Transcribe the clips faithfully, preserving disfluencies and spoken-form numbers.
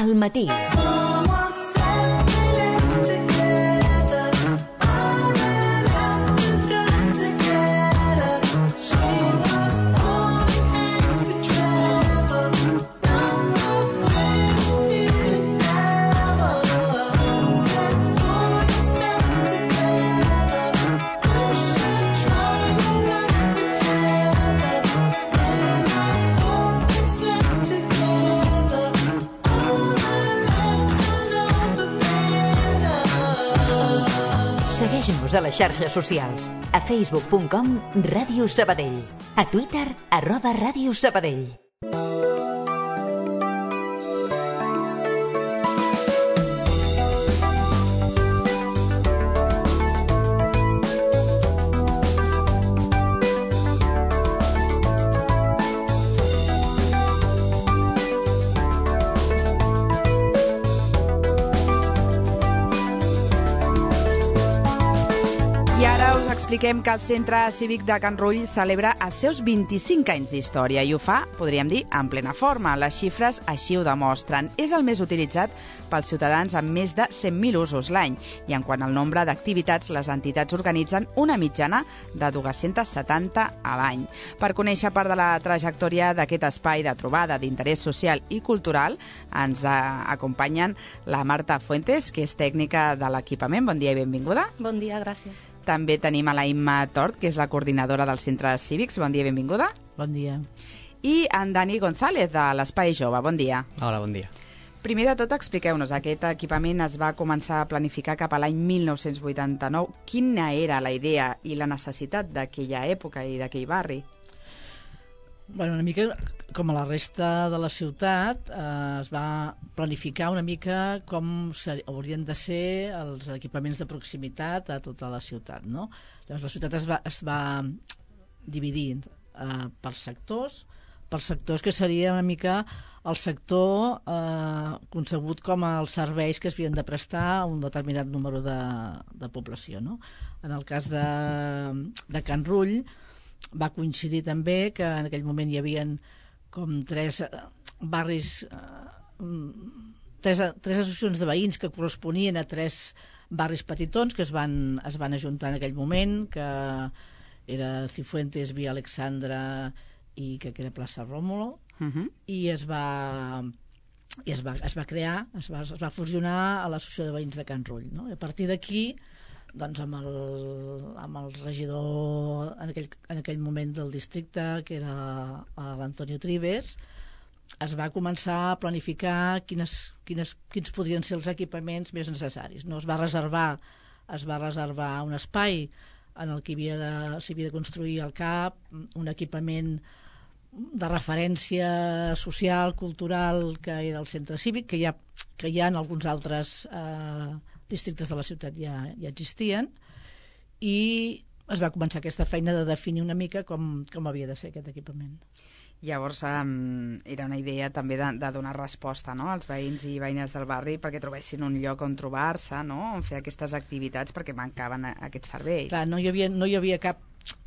al matí. Segueix-nos a les xarxes socials. A facebook punt com Ràdio Sabadell. A Twitter, arroba Ràdio Sabadell. Expliquem que el Centre Cívic de Can Rull celebra els seus vint-i-cinc anys d'història i ho fa, podríem dir, en plena forma. Les xifres així ho demostren. És el més utilitzat pels ciutadans amb més de cent mil usos l'any i en quant al nombre d'activitats, les entitats organitzen una mitjana de dues-centes setanta a l'any. Per conèixer part de la trajectòria d'aquest espai de trobada d'interès social i cultural, ens acompanyen la Marta Fuentes, que és tècnica de l'equipament. Bon dia i benvinguda. Bon dia, gràcies. També tenim a la Imma Tort, que és la coordinadora dels centres cívics. Bon dia i benvinguda. Bon dia. I en Dani González, de l'Espai Jove. Bon dia. Hola, bon dia. Primer de tot, expliqueu-nos, aquest equipament es va començar a planificar cap a l'any mil nou-cents vuitanta-nou. Quina era la idea i la necessitat d'aquella època i d'aquell barri? Bueno, una mica com a la resta de la ciutat, eh, es va planificar una mica com haurien de ser els equipaments de proximitat a tota la ciutat, no? Llavors la ciutat es va, es va dividir eh, per sectors, per sectors que seria una mica el sector eh, concebut com els serveis que es havien de prestar a un determinat número de, de població, no? En el cas de, de Can Rull, va coincidir també que en aquell moment hi havia com tres barris, tres, tres associacions de veïns que corresponien a tres barris petitons que es van, es van ajuntar en aquell moment, que era Cifuentes, Via Alexandra i que era Plaça Rómulo, uh-huh. i es va, i es va, es va crear, es va, es va fusionar a l'associació de veïns de Can Rull, no? I a partir d'aquí, doncs amb el, amb el regidor en aquell, en aquell moment del districte, que era l'Antonio Trives, es va començar a planificar quines, quines, quins podrien ser els equipaments més necessaris. No es va reservar, es va reservar un espai en el que havia de, s'havia de construir al cap, un equipament de referència social, cultural, que era el centre cívic, que hi ha, que hi ha en alguns altres eh, districtes de la ciutat ja, ja existien, i es va començar aquesta feina de definir una mica com, com havia de ser aquest equipament. Llavors um, era una idea també de, de donar resposta, no?, als veïns i veïnes del barri perquè trobessin un lloc on trobar-se, no?, on fer aquestes activitats perquè mancaven aquests serveis. Clar, no hi havia, no hi havia cap,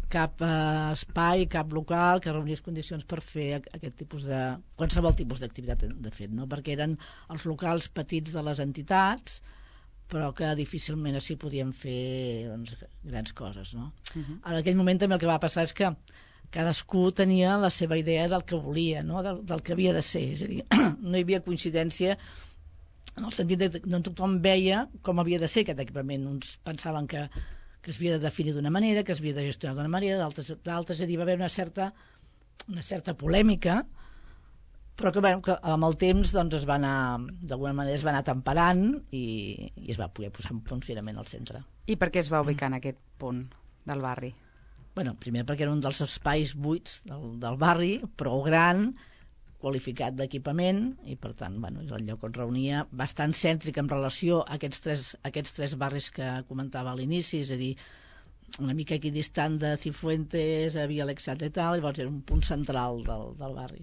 cap uh, espai, cap local que reunís condicions per fer aquest tipus de... qualsevol tipus d'activitat, de fet, no?, perquè eren els locals petits de les entitats, però que difícilment així podien fer, doncs, grans coses, no? Uh-huh. En aquell moment també el que va passar és que cadascú tenia la seva idea del que volia, no?, del, del que havia de ser. És a dir, no hi havia coincidència en el sentit que no tothom veia com havia de ser aquest equipament. Uns pensaven que, que es havia de definir d'una manera, que es havia de gestionar d'una manera, d'altres, d'altres, és a dir, va haver una certa, una certa polèmica, però que, bueno, que amb el temps doncs, es va anar, d'alguna manera es va anar temperant i, i es va poder posar en funcionament al centre. I per què es va ubicar en aquest punt del barri? Bueno, primer perquè era un dels espais buits del, del barri, prou gran, qualificat d'equipament, i per tant, bueno, és el lloc on reunia, bastant cèntric en relació a aquests tres, aquests tres barris que comentava a l'inici, és a dir, una mica equidistant de Cifuentes, a Via Alexandra i tal, i llavors era un punt central del, del barri.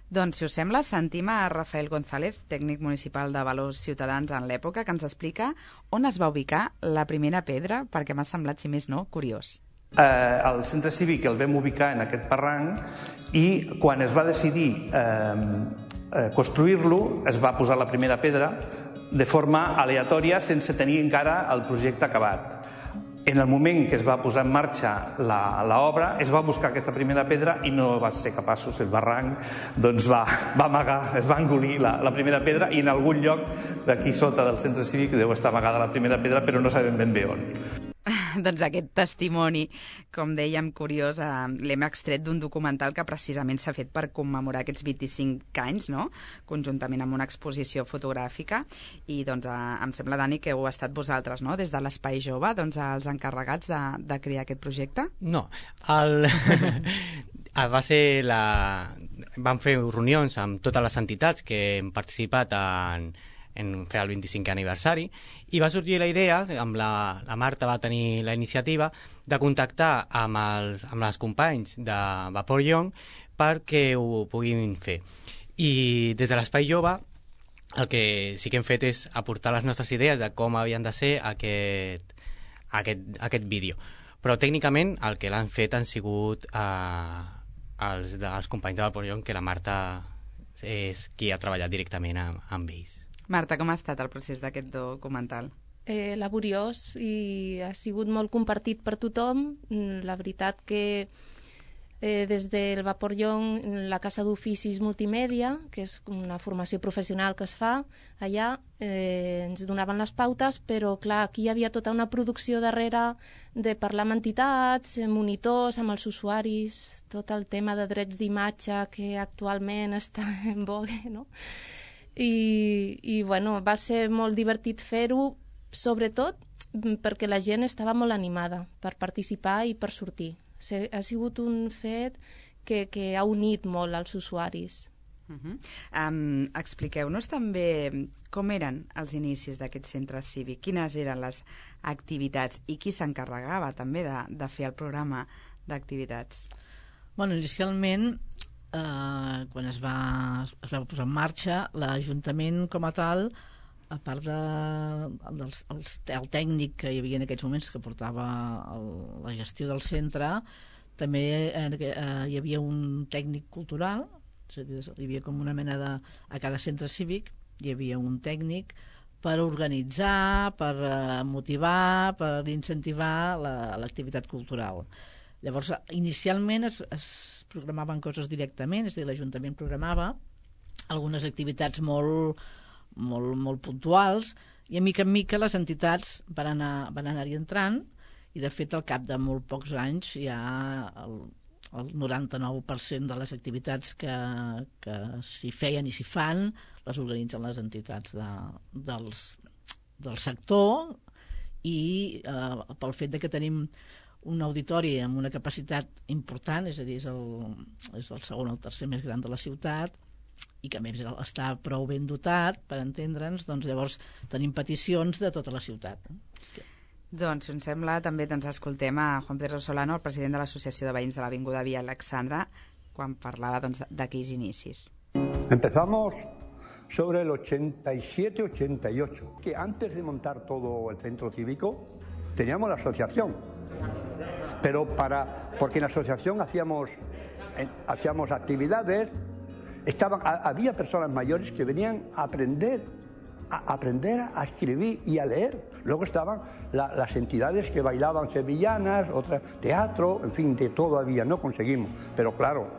Doncs, si us sembla, sentim a Rafael González, tècnic municipal de Valors Ciutadans en l'època, que ens explica on es va ubicar la primera pedra, perquè m'ha semblat, si més no, curiós. Eh, el centre cívic el vam ubicar en aquest barranc i quan es va decidir eh, eh, construir-lo es va posar la primera pedra de forma aleatòria sense tenir encara el projecte acabat. En el moment que es va posar en marxa l'obra, es va buscar aquesta primera pedra i no va ser capaços, el barranc doncs va, va amagar, es va engolir la, la primera pedra i en algun lloc d'aquí sota del centre cívic deu estar amagada la primera pedra, però no sabem ben bé on. Doncs aquest testimoni, com dèiem, curiós, eh, l'hem extret d'un documental que precisament s'ha fet per commemorar aquests vint-i-cinc anys, no?, conjuntament amb una exposició fotogràfica. I doncs eh, em sembla, Dani, que heu estat vosaltres, no?, des de l'Espai Jove, doncs, els encarregats de, de crear aquest projecte? No, el... va ser la... Vam fer reunions amb totes les entitats que hem participat en en fer el vint-i-cinquè aniversari, i va sorgir la idea, amb la, la Marta va tenir la iniciativa, de contactar amb els, amb els companys de Vapor Young perquè ho puguin fer. I des de l'Espai Jove el que sí que hem fet és aportar les nostres idees de com havien de ser aquest, aquest, aquest vídeo. Però tècnicament el que l'han fet han sigut eh, els, els companys de Vapor Young, que la Marta és qui ha treballat directament amb, amb ells. Marta, com ha estat el procés d'aquest documental? Eh, laboriós i ha sigut molt compartit per tothom. La veritat que eh, des del Vapor Young, la Casa d'Oficis Multimèdia, que és una formació professional que es fa allà, eh, ens donaven les pautes, però clar, aquí hi havia tota una producció darrere de parlar amb entitats, monitors, amb els usuaris, tot el tema de drets d'imatge que actualment està en vogue, no? I, i bueno, va ser molt divertit fer-ho, sobretot perquè la gent estava molt animada per participar i per sortir. Ha sigut un fet que, que ha unit molt als usuaris. Uh-huh. um, Expliqueu-nos també com eren els inicis d'aquest centre cívic, quines eren les activitats i qui s'encarregava també de, de fer el programa d'activitats. Bueno, inicialment, Uh, quan es va, es va posar en marxa, l'Ajuntament com a tal, a part de, dels, els, el tècnic que hi havia en aquests moments que portava el, la gestió del centre, també eh, hi havia un tècnic cultural, és a dir, hi havia com una mena de... A cada centre cívic hi havia un tècnic per organitzar, per uh, motivar, per incentivar l'activitat cultural. Llavors, inicialment es, es programaven coses directament, és a dir, l'Ajuntament programava algunes activitats molt, molt, molt puntuals, i a mica en mica les entitats van anar, van anar-hi entrant, i de fet al cap de molt pocs anys ja el, el noranta-nou per cent de les activitats que, que s'hi feien i s'hi fan les organitzen les entitats de, dels, del sector, i eh, pel fet de que tenim un auditori amb una capacitat important, és a dir, és el, és el segon o el tercer més gran de la ciutat, i que a més està prou ben dotat, per entendre'ns, doncs llavors tenim peticions de tota la ciutat. Doncs, si ens sembla, també ens escoltem a Juan Pedro Solano, el president de l'Associació de Veïns de l'Avinguda Via Alexandra, quan parlava doncs, d'aquells inicis. Empezamos sobre el ochenta y siete ochenta y ocho, que antes de montar todo el centro cívico teníamos la asociación. Pero para, porque en la asociación hacíamos, eh, hacíamos actividades, estaban, a, había personas mayores que venían a aprender, a, a aprender a escribir y a leer. Luego estaban la, las entidades que bailaban sevillanas, otras teatro, en fin, de todo había, no conseguimos. Pero claro,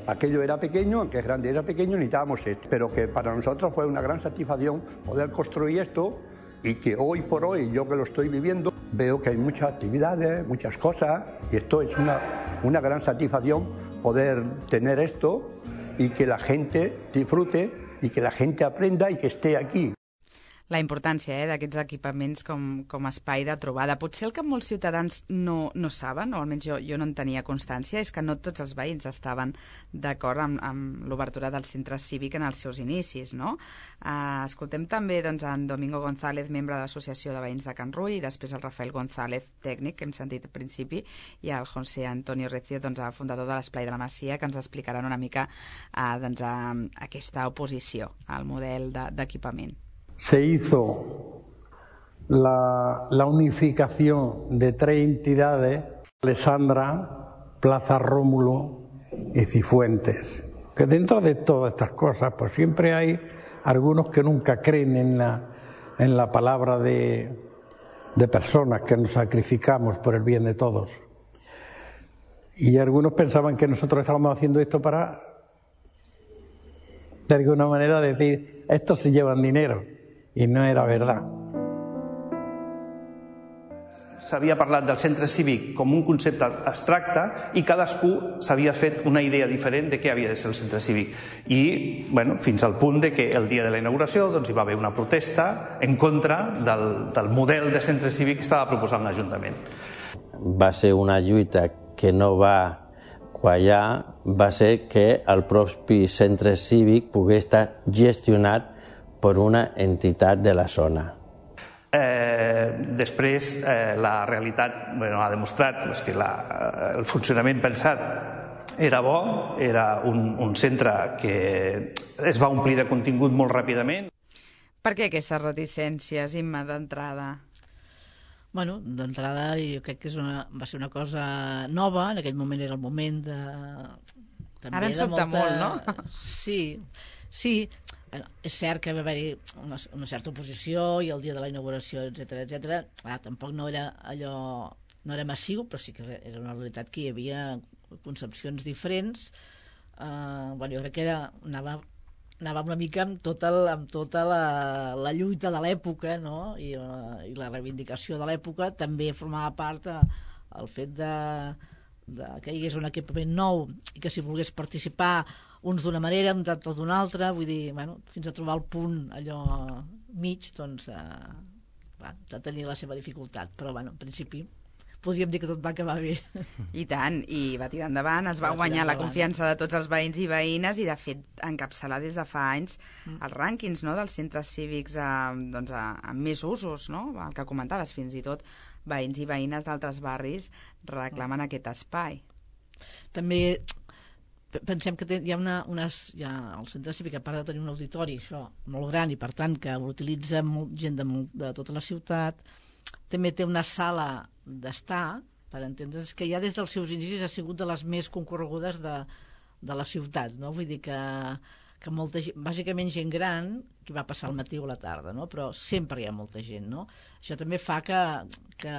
aquello era pequeño, aunque es grande era pequeño, necesitábamos esto. Pero que para nosotros fue una gran satisfacción poder construir esto, y que hoy por hoy, yo que lo estoy viviendo, veo que hay muchas actividades, muchas cosas, y esto es una, una gran satisfacción poder tener esto y que la gente disfrute y que la gente aprenda y que esté aquí. La importància eh, d'aquests equipaments com, com a espai de trobada. Potser el que molts ciutadans no, no saben, o almenys jo, jo no en tenia constància, és que no tots els veïns estaven d'acord amb, amb l'obertura del centre cívic en els seus inicis, no? Uh, escoltem també doncs, en Domingo González, membre de l'Associació de Veïns de Can Rull, i després el Rafael González, tècnic, que hem sentit al principi, i el José Antonio Recio, doncs, fundador de l'Esplai de la Masia, que ens explicaran una mica uh, doncs, uh, aquesta oposició al model d'equipament. Se hizo la, la unificación de tres entidades, Alessandra, Plaza Rómulo y Cifuentes. que dentro de todas estas cosas, pues siempre hay algunos que nunca creen en la, en la palabra de, de personas que nos sacrificamos por el bien de todos. Y algunos pensaban que nosotros estábamos haciendo esto para, de alguna manera, decir, estos se llevan dinero, y no era verdad. S'havia parlat del centre cívic com un concepte abstracte i cadascú s'havia fet una idea diferent de què havia de ser el centre cívic. I bueno, fins al punt de que el dia de la inauguració doncs, hi va haver una protesta en contra del, del model de centre cívic que estava proposant l'Ajuntament. Va ser una lluita que no va quallar, va ser que el propi centre cívic pogués estar gestionat per una entitat de la zona. Eh, després, eh, la realitat bueno, ha demostrat pues, que la, el funcionament pensat era bo, era un, un centre que es va omplir de contingut molt ràpidament. Per què aquestes reticències, Imma, d'entrada? Bueno, d'entrada jo crec que és una, va ser una cosa nova, en aquell moment era el moment de... També Ara ens sobta molta... molt, no? Sí, sí. Bueno, és cert que va haver-hi una, una certa oposició i el dia de la inauguració, etcètera, etcètera. Ah, tampoc no era allò, no era massiu, però sí que era una realitat que hi havia concepcions diferents. Uh, bueno, jo crec que era, anava, anava una mica amb tota, amb tota la, la lluita de l'època, no? I, uh, i la reivindicació de l'època també formava part uh, el fet de, de que hi hagués un equipament nou i que si volgués participar uns d'una manera, uns altres d'una altra, vull dir, bueno, fins a trobar el punt allò mig, doncs, eh, va, de tenir la seva dificultat, però, bueno, en principi, podríem dir que tot va acabar bé. I tant, i va tirar endavant, es va, va guanyar la confiança de tots els veïns i veïnes i, de fet, encapçalar des de fa anys mm. els rànquings, no?, dels centres cívics amb, doncs, amb més usos, no?, el que comentaves, fins i tot veïns i veïnes d'altres barris reclamen mm. aquest espai. També pensem que hi ha una, unes, hi ha el centre cívic, a part de tenir un auditori això, molt gran i per tant que utilitza molt, gent de, molt, de tota la ciutat, també té una sala d'estar, per entendre's, que ja des dels seus inicis ha sigut de les més concorregudes de, de la ciutat, no? Vull dir que, que molta gent, bàsicament gent gran, que va passar al matí o a la tarda, no? Però sempre hi ha molta gent, no? Això també fa que, que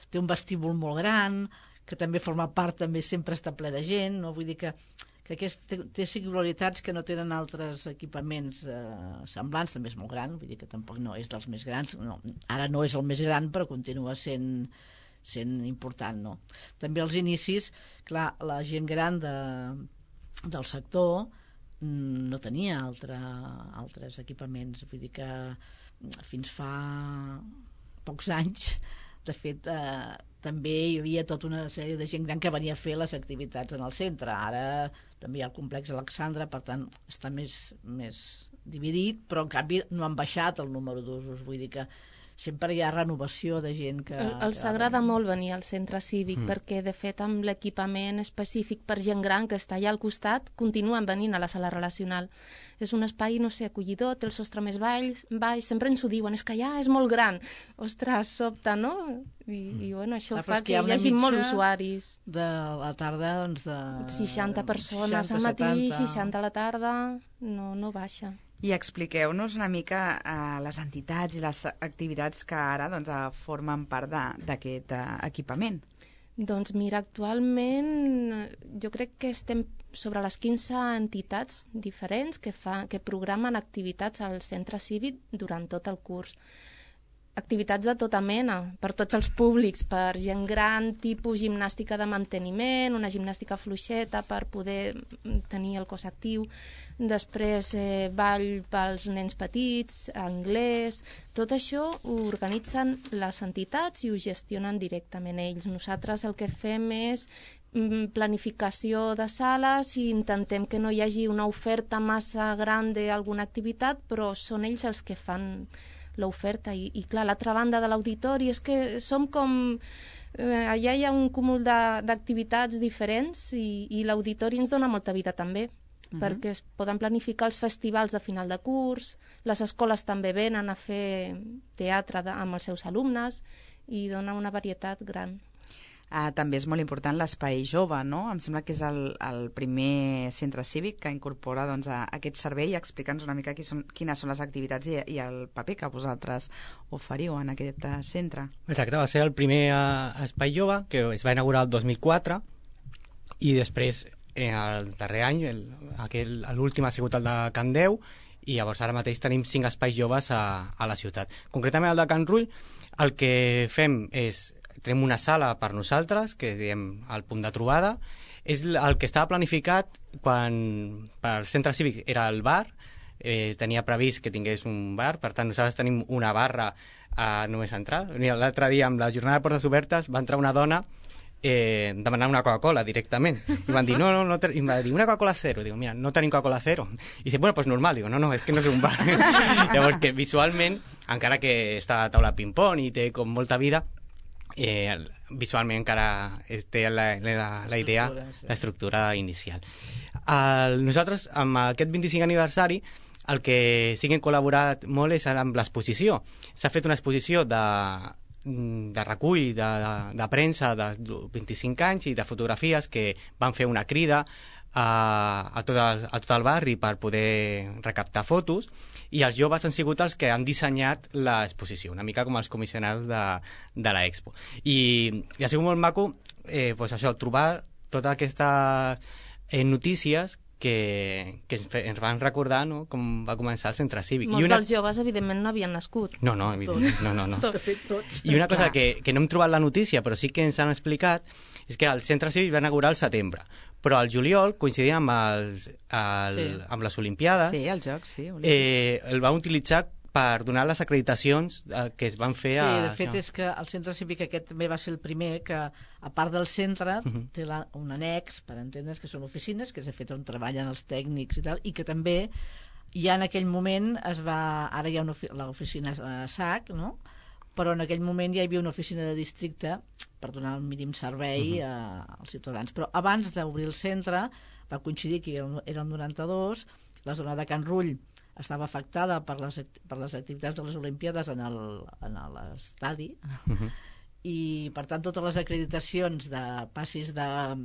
té un vestíbul molt gran, que també forma part, també sempre està ple de gent, no? Vull dir que que aquest té, té singularitats que no tenen altres equipaments eh, semblants, també és molt gran, vull dir que tampoc no és dels més grans, no, ara no és el més gran, però continua sent, sent important, no? També als inicis, clar, la gent gran de, del sector no tenia altre, altres equipaments, vull dir que fins fa pocs anys, de fet, eh, també hi havia tota una sèrie de gent gran que venia a fer les activitats en el centre. Ara també hi ha el complex Alexandra, per tant, està més, més dividit, però en canvi no han baixat el número d'usos. Vull dir que sempre hi ha renovació de gent que... El, els agrada molt venir al centre cívic mm. perquè, de fet, amb l'equipament específic per gent gran que està allà al costat, continuen venint a la sala relacional. És un espai, no sé, acollidor, té el sostre més baix, baix, sempre ens ho diuen, és que ja és molt gran. Ostres, sobta, no? I, i bueno, això ah, fa que hi hagi molts usuaris. De la tarda, doncs, de... seixanta persones seixanta, al matí, setanta... seixanta a la tarda, no, no baixa. I expliqueu-nos una mica eh, les entitats i les activitats que ara doncs, formen part d'aquest eh, equipament. Doncs mira, actualment jo crec que estem sobre les quinze entitats diferents que, fa, que programen activitats al centre cívic durant tot el curs. Activitats de tota mena, per tots els públics, per gent gran, tipus gimnàstica de manteniment, una gimnàstica fluixeta per poder tenir el cos actiu, després eh, ball pels nens petits, anglès, tot això ho organitzen les entitats i ho gestionen directament ells. Nosaltres el que fem és planificació de sales i intentem que no hi hagi una oferta massa gran d'alguna activitat, però són ells els que fan l'oferta. I, i clar, l'altra banda de l'auditori és que som com... Eh, allà hi ha un cúmul d'activitats diferents i, i l'auditori ens dona molta vida també, uh-huh. perquè es poden planificar els festivals de final de curs, les escoles també venen a fer teatre de, amb els seus alumnes i dona una varietat gran. Uh, també és molt important l'espai jove, no? Em sembla que és el, el primer centre cívic que incorpora doncs, a, a aquest servei. Explica'ns una mica qui són, quines són les activitats i, i el paper que vosaltres oferiu en aquest uh, centre. Exacte, va ser el primer uh, espai jove que es va inaugurar el dos mil quatre i després eh, el darrer any l'últim ha sigut el de Can Deu i llavors ara mateix tenim cinc espais joves a, a la ciutat. Concretament el de Can Rull el que fem és tenim una sala per nosaltres, que diem el punt de trobada. És el que estava planificat quan pel centre cívic era el bar, eh, tenia previst que tingués un bar, per tant nosaltres tenim una barra a només entrar. L'altre dia, amb la jornada de portes obertes, va entrar una dona eh, demanant una Coca-Cola directament. I van dir, no, no, no, i va dir, una Coca-Cola cero. Digo, mira, no tenim Coca-Cola cero. I dice, bueno, pues normal. Digo, no, no, és que no és un bar. Llavors que visualment, encara que està a taula ping-pong i té com molta vida, Eh, visualment encara té la, la, la idea, l'estructura inicial. El, nosaltres, amb aquest vint-i-cinquè aniversari, el que sí que hem col·laborat molt és amb l'exposició. S'ha fet una exposició de, de recull de, de, de premsa de vint-i-cinc anys i de fotografies que van fer una crida a, a, tot el, a tot el barri per poder recaptar fotos, i els joves han sigut els que han dissenyat l'exposició, una mica com els comissionats de, de l'Expo. I, I ha sigut molt maco eh, pues això, trobar totes aquestes eh, notícies que, que ens van recordar, no?, com va començar el centre cívic. Molts I una... dels joves, evidentment, no havien nascut. No, no, evidentment, no, no, no. Tots. Tots. I una cosa que, que no hem trobat la notícia, però sí que ens han explicat, és que el centre cívic va inaugurar al setembre, però al juliol, coincidint amb, els, el, sí. amb les Olimpiades, sí, els Jocs, sí, eh, el van utilitzar per donar les acreditacions eh, que es van fer sí, a... Sí, de fet és que el centre cívic aquest també va ser el primer que, a part del centre, uh -huh. té la, un annex, per entendre's, que són oficines, que s'ha fet on treballen els tècnics i tal, i que també ja en aquell moment es va... Ara hi ha l'oficina a S A C, no?, però en aquell moment ja hi havia una oficina de districte per donar el mínim servei uh -huh. a, als ciutadans. Però abans d'obrir el centre, va coincidir que era el noranta-dos, la zona de Can Rull estava afectada per les, per les activitats de les Olimpiades en l'estadi, uh -huh. i per tant totes les acreditacions de passis de,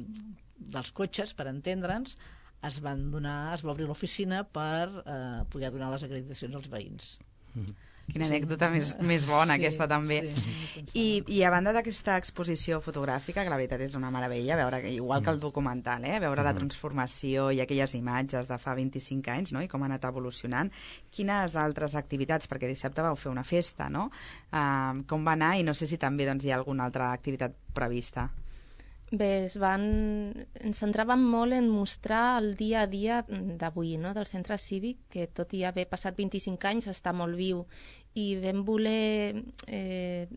dels cotxes, per entendre'ns, es van donar, es va obrir l'oficina per eh, poder donar les acreditacions als veïns. Uh -huh. Quina anècdota sí. més, més bona, sí, aquesta també. Sí, I, I a banda d'aquesta exposició fotogràfica, que la veritat és una meravella, veure, igual que el documental, eh? veure la transformació i aquelles imatges de fa vint-i-cinc anys, no?, i com ha anat evolucionant, quines altres activitats, perquè dissabte vau fer una festa, no?, uh, com va anar, i no sé si també doncs, hi ha alguna altra activitat prevista. Bé, es van... ens centràvem molt en mostrar el dia a dia d'avui, no?, del centre cívic, que tot i haver passat vint-i-cinc anys està molt viu, i vam voler... Eh,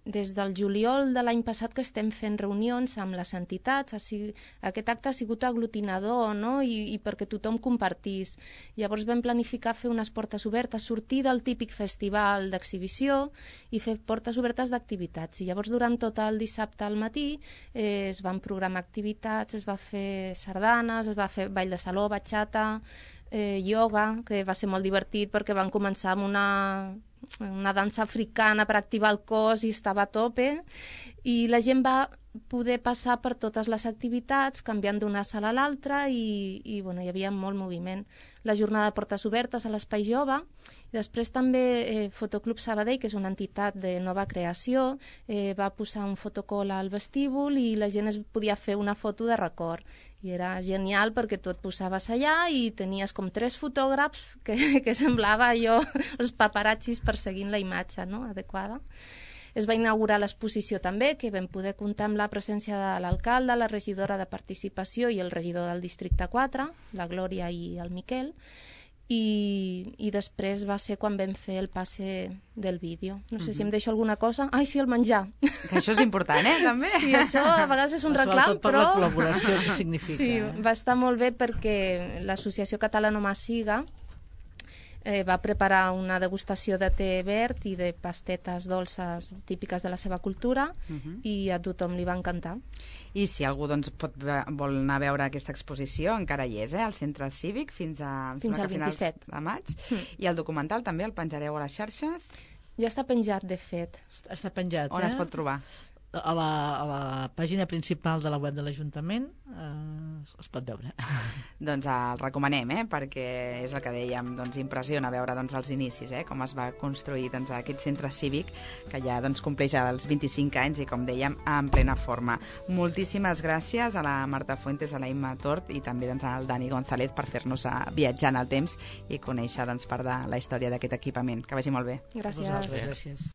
des del juliol de l'any passat que estem fent reunions amb les entitats, ha sigut, aquest acte ha sigut aglutinador, no?, I, i perquè tothom compartís. Llavors vam planificar fer unes portes obertes, sortir del típic festival d'exhibició i fer portes obertes d'activitats. I llavors durant tot el dissabte al matí eh, es van programar activitats, es va fer sardanes, es va fer ball de saló, batxata, eh, ioga, que va ser molt divertit perquè van començar amb una... una dansa africana per activar el cos i estava a tope, i la gent va poder passar per totes les activitats canviant d'una sala a l'altra, i, i bueno, hi havia molt moviment. La jornada de portes obertes a l'Espai Jove, i després també eh, Fotoclub Sabadell, que és una entitat de nova creació, eh, va posar un fotocol al vestíbul i la gent es podia fer una foto de record. I era genial perquè tu et posaves allà i tenies com tres fotògrafs que, que semblava allò, els paparazzis perseguint la imatge, no?, adequada. Es va inaugurar l'exposició també, que vam poder comptar amb la presència de l'alcalde, la regidora de Participació i el regidor del districte quatre, la Glòria i el Miquel, i, i després va ser quan vam fer el passe del vídeo. No sé uh-huh. si em deixo alguna cosa. Ai, sí, el menjar. Que això és important, eh, també? Sí, això a vegades és un reclam, per però... la col·laboració que significa. Sí, eh? va estar molt bé perquè l'Associació Catalana Masiga eh, va preparar una degustació de te verd i de pastetes dolces típiques de la seva cultura, uh-huh. i a tothom li va encantar. I si algú doncs, pot, vol anar a veure aquesta exposició, encara hi és, eh, al Centre Cívic, fins, a, fins al vint-i-set de maig. Mm. I el documental també el penjareu a les xarxes? Ja està penjat, de fet. Està penjat, On eh? es pot trobar? a la, a la pàgina principal de la web de l'Ajuntament eh, es pot veure. Doncs el recomanem, eh? Perquè és el que dèiem, doncs impressiona veure doncs, els inicis, eh? Com es va construir doncs, aquest centre cívic que ja doncs, compleix els vint-i-cinc anys i, com dèiem, en plena forma. Moltíssimes gràcies a la Marta Fuentes, a la Imma Tort i també doncs, al Dani González per fer-nos viatjar en el temps i conèixer doncs, part de la història d'aquest equipament. Que vagi molt bé. Gràcies. Gràcies.